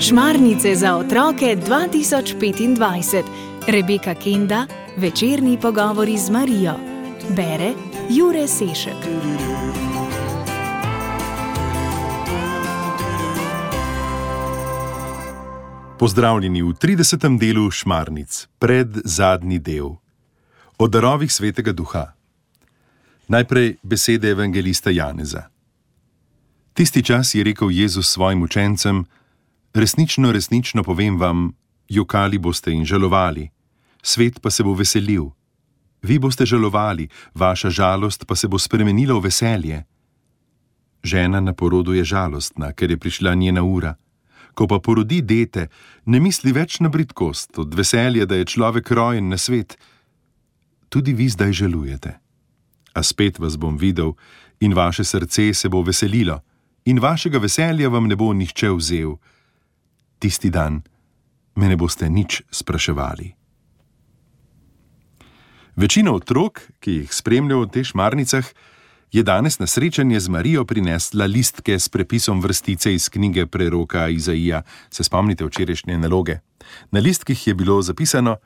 Šmarnice za otroke 2025. Rebeka Kenda, večerni pogovori z Marijo. Bere Jure Sešek. Pozdravljeni v 30. delu Šmarnic, predzadnji del. O darovih Svetega Duha. Najprej besede evangelista Janeza. Tisti čas je rekel Jezus svojim učencem: resnično, resnično povem vam, jokali boste in žalovali, svet pa se bo veselil. Vi boste žalovali, vaša žalost pa se bo spremenila v veselje. Žena na porodu je žalostna, ker je prišla njena ura. Ko pa porodi dete, ne misli več na bridkost, od veselja, da je človek rojen na svet. Tudi vi zdaj žalujete. A spet vas bom videl in vaše srce se bo veselilo in vašega veselja vam ne bo nihče vzel. Tisti dan me ne boste nič spraševali. Večina otrok, ki jih spremljajo v teh šmarnicah, je danes na srečanje z Marijo prinesla listke s prepisom vrstice iz knjige preroka Izaija. Se spomnite včerajšnje naloge? Na listkih je bilo zapisano: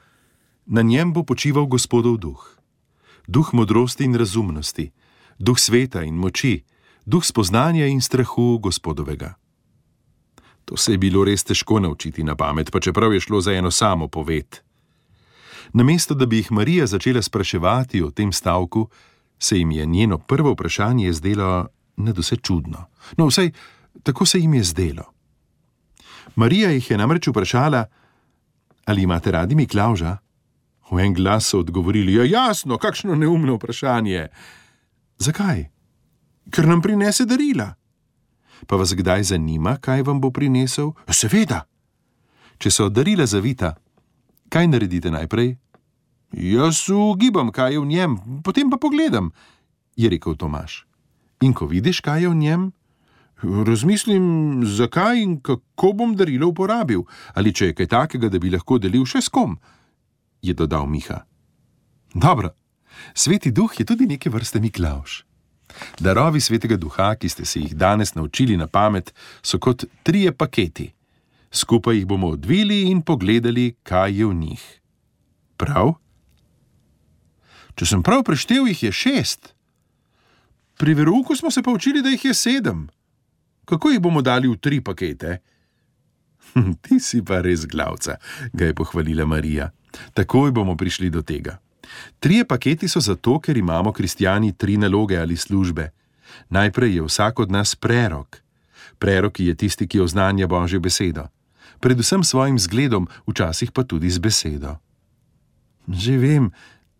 na njem bo počival Gospodov duh. Duh modrosti in razumnosti, duh sveta in moči, duh spoznanja in strahu Gospodovega. To se je bilo res težko naučiti na pamet, pa čeprav je šlo za eno samo poved. Namesto da bi jih Marija začela spraševati o tem stavku, se jim je njeno prvo vprašanje zdelo nadvse čudno. No, vsaj tako se jim je zdelo. Marija jih je namreč vprašala: ali imate radi Miklavža? V en glas so odgovorili: ja, jasno, kakšno neumno vprašanje. Zakaj? Ker nam prinese darila. Pa vas kdaj zanima, kaj vam bo prinesel? Seveda. Če so darila zavita, kaj naredite najprej? Jaz ugibam, kaj je v njem, potem pa pogledam, je rekel Tomaž. In ko vidiš, kaj je v njem, razmislim, zakaj in kako bom darilo uporabil, ali če je kaj takega, da bi lahko delil še s kom, je dodal Miha. Dobro, Sveti duh je tudi neke vrste Miklavž. Darovi Svetega Duha, ki ste se jih danes naučili na pamet, so kot 3 paketi. Skupaj jih bomo odvili in pogledali, kaj je v njih. Prav? Če sem prav preštel, jih je 6. Pri verouku smo se pa učili, da jih je 7. Kako jih bomo dali v 3 pakete? Ti si pa res glavca, ga je pohvalila Marija. Takoj bomo prišli do tega. 3 paketi so zato, ker imamo kristjani 3 naloge ali službe. Najprej je vsak od nas prerok. Prerok je tisti, ki oznanja Božjo besedo. Predvsem svojim zgledom, včasih pa tudi z besedo. Že vem,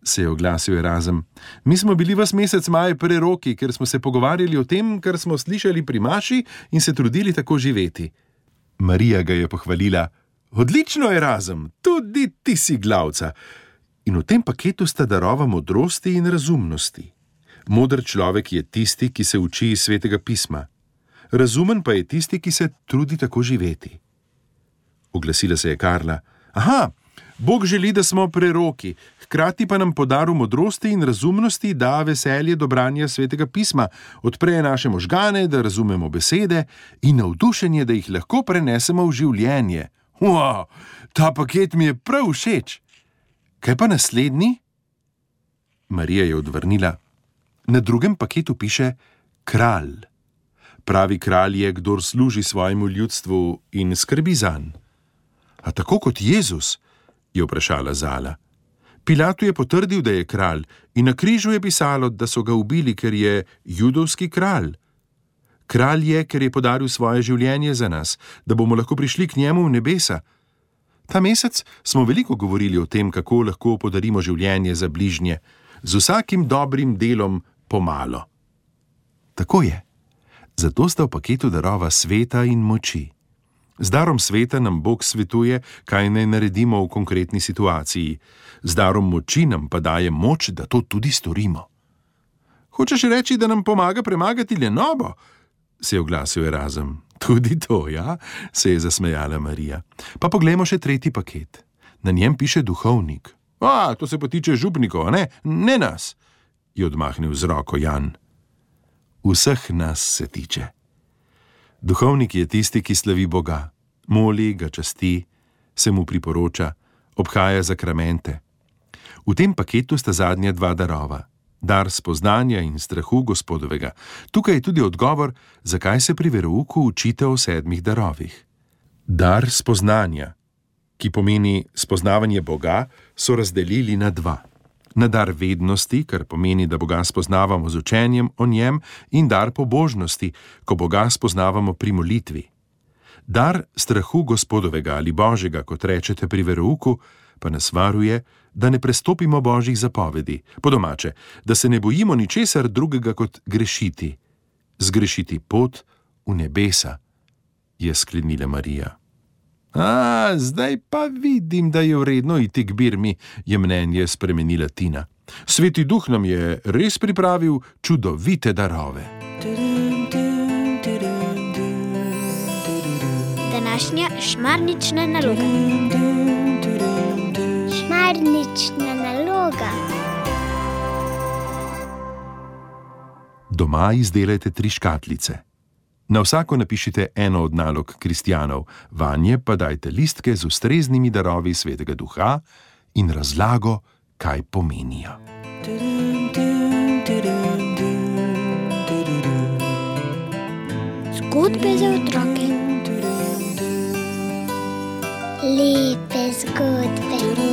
se je oglasil Erazem. Mi smo bili ves mesec maj preroki, ker smo se pogovarjali o tem, kar smo slišali pri maši in se trudili tako živeti. Marija ga je pohvalila. Odlično, Erazem, tudi ti si glavca. In v tem paketu sta darova modrosti in razumnosti. Moder človek je tisti, ki se uči iz Svetega pisma. Razumen pa je tisti, ki se trudi tako živeti. Oglasila se je Karla. Aha, Bog želi, da smo preroki, hkrati pa nam po daru modrosti in razumnosti da veselje do branja Svetega pisma, odpre naše možgane, da razumemo besede in navdušenje, da jih lahko prenesemo v življenje. Wow, ta paket mi je prav všeč. Kaj pa naslednji? Marija je odvrnila. Na 2. paketu piše kralj. Pravi kralj je, kdor služi svojemu ljudstvu in skrbi zanj. A tako kot Jezus? Je vprašala Zala. Pilatu je potrdil, da je kralj, in na križu je pisalo, da so ga ubili, ker je judovski kralj. Kralj je, ker je podaril svoje življenje za nas, da bomo lahko prišli k njemu v nebesa. Ta mesec smo veliko govorili o tem, kako lahko podarimo življenje za bližnje, z vsakim dobrim delom pomalo. Tako je. Zato sta v paketu darova sveta in moči. Z darom sveta nam Bog svetuje, kaj naj naredimo v konkretni situaciji. Z darom moči nam pa daje moč, da to tudi storimo. Hočeš reči, da nam pomaga premagati lenobo? Se je oglasil Erazem. Tudi to, ja, se je zasmejala Marija. Pa poglejmo še 3. paket. Na njem piše duhovnik. To se pa tiče župnikov, ne nas, je odmahnil z roko Jan. Vseh nas se tiče. Duhovnik je tisti, ki slavi Boga, moli, ga časti, se mu priporoča, obhaja zakramente. V tem paketu sta zadnja dva darova, dar spoznanja in strahu Gospodovega. Tukaj je tudi odgovor, zakaj se pri verouku učite o 7 darovih. Dar spoznanja, ki pomeni spoznavanje Boga, so razdelili na 2. Na dar vednosti, kar pomeni, da Boga spoznavamo z učenjem o njem, in dar pobožnosti, ko Boga spoznavamo pri molitvi. Dar strahu Gospodovega ali Božjega, kot rečete pri verouku, pa nas varuje, da ne prestopimo Božjih zapovedi, po domače, da se ne bojimo ničesar drugega kot grešiti. Zgrešiti pot v nebesa, je sklenila Marija. Zdaj pa vidim, da je vredno iti k Birmi, je mnenje spremenila Tina. Sveti Duh nam je res pripravil čudovite darove. Današnja šmarnična naloga. Šmarnična naloga. Doma izdelajte 3 škatlice. Na vsako napišite eno od nalog kristjanov, vanje pa dajte listke z ustreznimi darovi Svetega Duha in razlago, kaj pomenijo. Zgodbe za otroke. Lepe zgodbe.